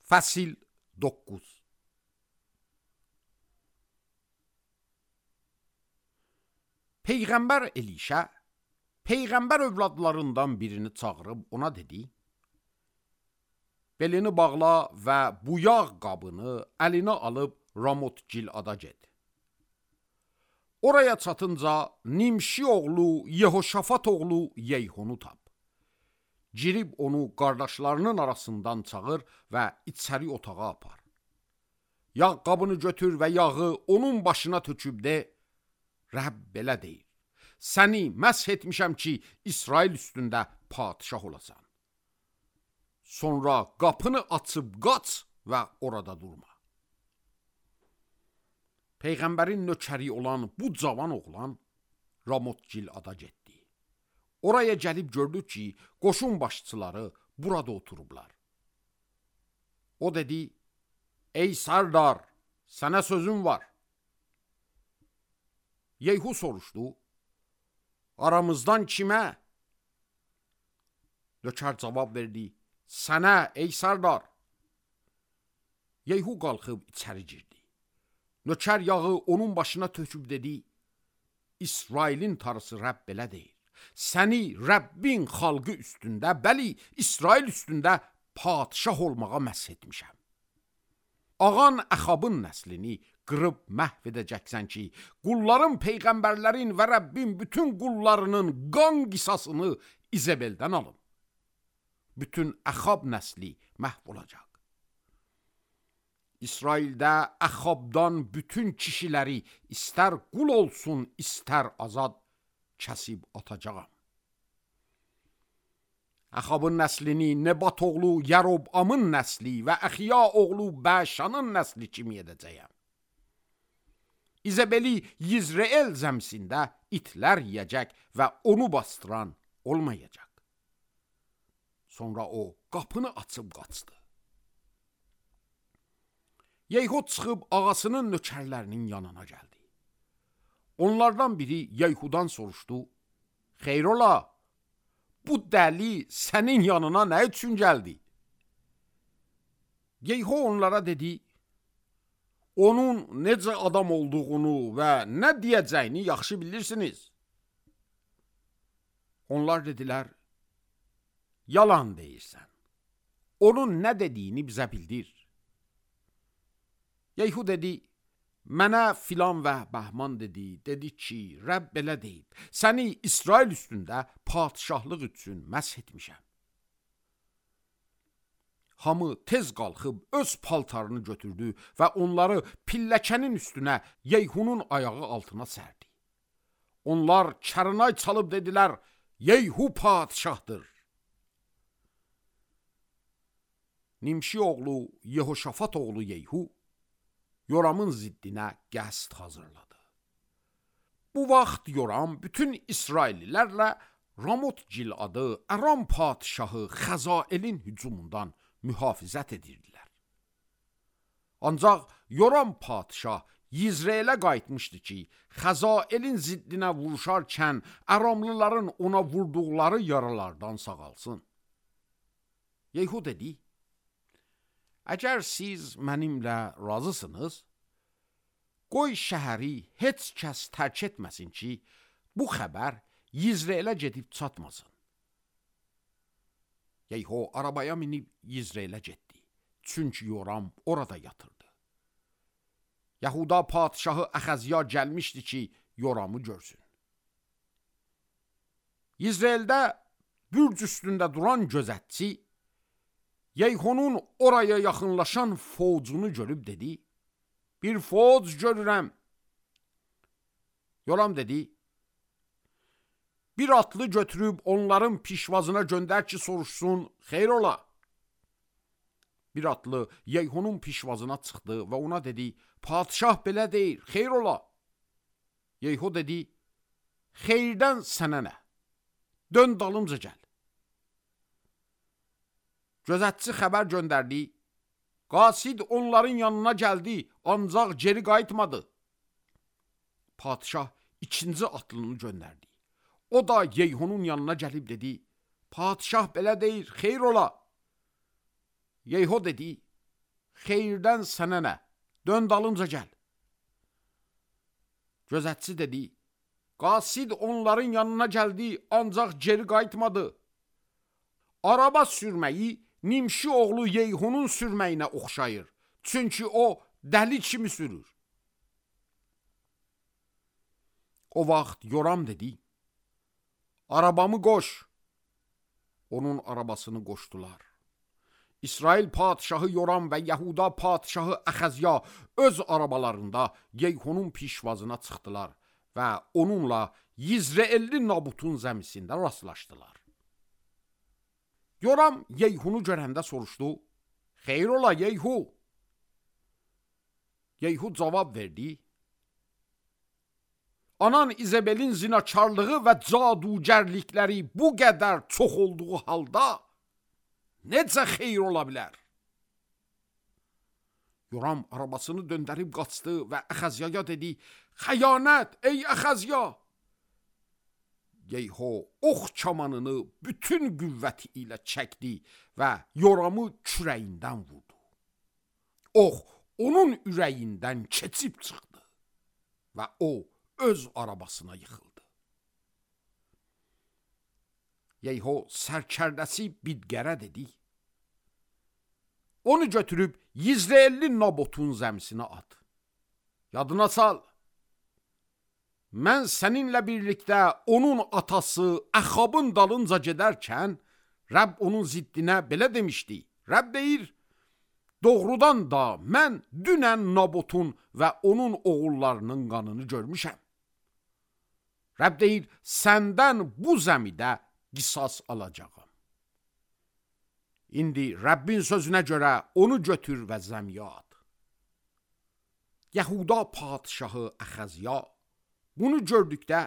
Fəsil 9. Peyğəmbər Elişə Peyğəmbər övladlarından birini çağırıb ona dedi: belini bağla və bu yağ qabını əlinə alıb Ramot Gilada get. Oraya çatınca Nimşi oğlu Yehoşafat oğlu Yeyhunu tap. Girib onu qardaşlarının arasından çağır və içəri otağa apar. Yağ qabını götür və yağı onun başına töküb de: Rəbb belə deyir: səni məsh etmişəm ki, İsrail üstündə padişah olasan. Sonra qapını açıb qaç və orada durma. Peyğəmbərin nökəri olan bu cavan oğlan Ramot Gilada getdi. Oraya gəlib gördü ki, qoşun başçıları burada oturublar. O dedi: ey Sardar, sənə sözüm var. Yeyhu soruşdu: aramızdan kimə? Nökər cavab verdi: sənə ey Sardar. Yeyhu qalxıb içəri girdi. Nökər yağı onun başına töküb dedi: İsrailin tarısı Rəbb belə deyir: səni Rəbbin xalqı üstündə, bəli, İsrail üstündə padişah olmağa məsh etmişəm. Ağan Əxabın nəslini qırıb məhv edəcəksən ki, qulların, peyğəmbərlərin və Rəbbin bütün qullarının qan qisasını İzebeldən alım. Bütün Əxab nəsli məhv olacaq. İsraildə Əxabdan bütün kişiləri istər qul olsun, istər azad kəsib atacağam. Əxabın nəslini Nebat oğlu Yərobamın nəsli və Əxiya oğlu Bəşanın nəsli kimi edəcəyəm. İzebeli Yizreel zəmsində itlər yiyəcək və onu bastıran olmayacaq. Sonra o qapını açıb qaçdı. Yeyhu çıxıb ağasının nökərlərinin yanına gəldi. Onlardan biri Yeyhudan soruşdu: xeyrola, bu dəli sənin yanına nə üçün gəldi? Yeyhu onlara dedi: onun necə adam olduğunu və nə deyəcəyini yaxşı bilirsiniz. Onlar dedilər: yalan deyirsən. Onun nə dediyini bizə bildir. Yeyhu dedi: mənə filan və bəhman dedi. Dedi ki, Rəbb belə deyib: səni İsrail üstündə padişahlıq üçün məsh etmişəm. Hamı tez qalxıb öz paltarını götürdü və onları pilləkənin üstünə Yeyhunun ayağı altına sərdi. Onlar kərnay çalıb dedilər: Yeyhu padişahdır. Nimşi oğlu Yehoşafat oğlu Yeyhu Yoramın ziddinə qəsd hazırladı. Bu vaxt Yoram bütün İsraillilərlə Ramot Giladı Aram padişahı Xəzaelin hücumundan mühafizət edirdilər. Ancaq Yoram padişah Yizreelə qayıtmışdı ki, Xəzaelin ziddinə vuruşarkən Aramlıların ona vurduqları yaralardan sağalsın. Yeyhu dedi: əgər siz mənimlə razısınız, qoy şəhəri heç kəs tərk etməsin ki, bu xəbər Yizreelə gedib çatmasın. Yeyhu arabaya minib Yizreelə getdi. Çünki Yoram orada yatırdı. Yahuda padişahı Əxəziya gəlmişdi ki, Yoramı görsün. Yizreeldə bürc üstündə duran gözətçi Yeyhunun oraya yaxınlaşan fovcunu görüb dedi: bir fovc görürəm. Yoram dedi: bir atlı götürüb onların pişvazına göndər ki, soruşsun, xeyrola. Bir atlı Yeyhunun pişvazına çıxdı və ona dedi: padişah belə deyir, xeyrola. Yeyhu dedi: xeyirdən sənə nə? Dön dalımca gəl. Gözətçi xəbər göndərdi: qasid onların yanına gəldi, ancaq geri qayıtmadı. Padişah ikinci atlını göndərdi. O da Yeyhunun yanına gəlib dedi: padişah belə deyir, xeyr ola. Yeyhu dedi: xeyirdən sənə nə? Dön dalınca gəl. Gözətçi dedi, qasid onların yanına gəldi, ancaq geri qayıtmadı. Araba sürməyi Nimşi oğlu Yeyhunun sürməyinə oxşayır. Çünki o dəli kimi sürür. O vaxt Yoram dedi, arabamı qoş. Onun arabasını qoşdular. İsrail padişahı Yoram və Yahuda padişahı Əxəzya öz arabalarında Yeyhunun pişvazına çıxdılar və onunla Yizreelli Nabutun zəmisində rastlaşdılar. Yoram Yeyhunu görəndə soruşdu, xeyr ola Yeyhu. Yeyhu cavab verdi, anan İzebelin zinakarlığı və cadugərlikləri bu qədər çox olduğu halda necə xeyr ola bilər? Yoram arabasını döndərib qaçdı və Əxəzyaya dedi, xəyanət ey Əxəzya! Yeyhu ox kamanını bütün qüvvəti ilə çəkdi və Yoramı kürəyindən vurdu. Ox onun ürəyindən keçib çıxdı və o öz arabasına yıxıldı. Yeyhu sərkərdəsi Bidgərə dedi, onu götürüb Yizreelli Nabotun zəmisinə at. Yadına sal, mən səninlə birlikdə onun atası Əxabın dalınca gedərkən, Rəbb onun ziddinə belə demişdi. Rəbb deyir, doğrudan da mən dünən Nabotun və onun oğullarının qanını görmüşəm. Rəbb deyir, səndən bu zəmidə qisas alacağım. İndi Rəbbin sözünə görə onu götür və zəmiyə at. Yahuda padişahı Əxəzya bunu gördükdə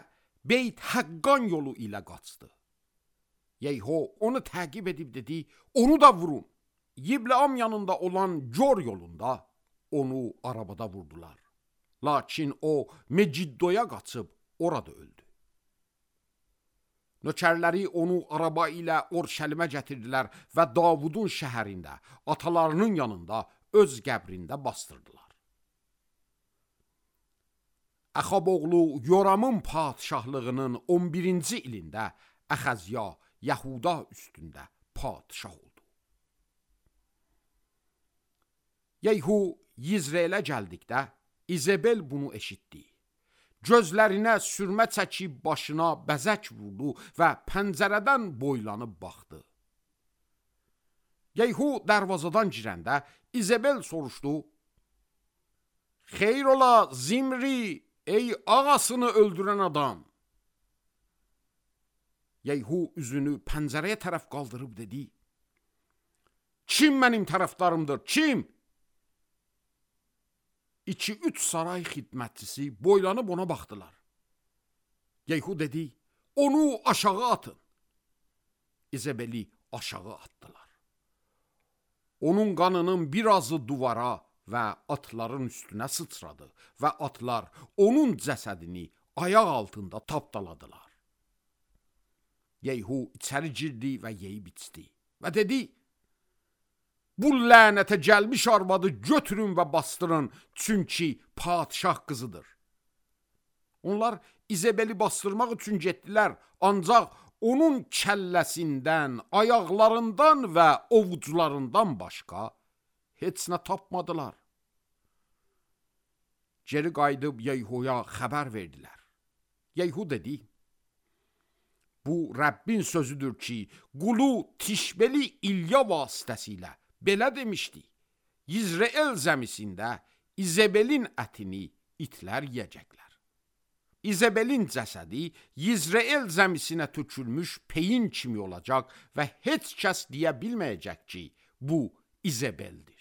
Beyt Həqqan yolu ilə qaçdı. Yeyhu onu təqib edib dedi, onu da vurun. Yibleam yanında olan Gör yolunda onu arabada vurdular. Lakin o Meciddoya qaçıb orada öldü. Nökərləri onu araba ilə Orşəlimə gətirdilər və Davudun şəhərində, atalarının yanında öz qəbrində bastırdılar. Əxab oğlu Yoramın padişahlığının 11-ci ilində Əxəzya Yahuda üstündə padişah oldu. Yeyhu Yizreelə gəldikdə İzebel bunu eşitdi. Gözlərinə sürmə çəkib başına bəzək vurdu və pəncərədən boylanıb baxdı. Yeyhu dərvazadan girəndə İzebel soruşdu, xeyr ola Zimri, ey ağasını öldürən adam. Yeyhu üzünü pəncərəyə tərəf qaldırıb dedi, kim mənim tərəfdarımdır, kim? 2-3 saray xidmətçisi boylanıb ona baxdılar. Yeyhu dedi, onu aşağı atın. İzebeli aşağı atdılar. Onun qanının birazı duvara və atların üstünə sıçradı və atlar onun cəsədini ayaq altında tapdaladılar. Yeyhu içəri girdi və yeyib içdi və dedi, bu lənətə gəlmiş arvadı götürün və bastırın, çünki padişah qızıdır. Onlar İzebeli bastırmaq üçün getdilər, ancaq onun kəlləsindən, ayaqlarından və ovucularından başqa heç nə tapmadılar. Geri qayıdıb Yeyhuya xəbər verdilər. Yeyhu dedi, bu Rəbbin sözüdür ki, qulu Tişbeli İlya vasitəsilə belə demişdi, Yizreel zəmisində İzebelin ətini itlər yiyəcəklər. İzebelin cəsədi Yizreel zəmisinə tökülmüş peyin kimi olacaq və heç kəs deyə bilməyəcək ki, bu İzebeldir.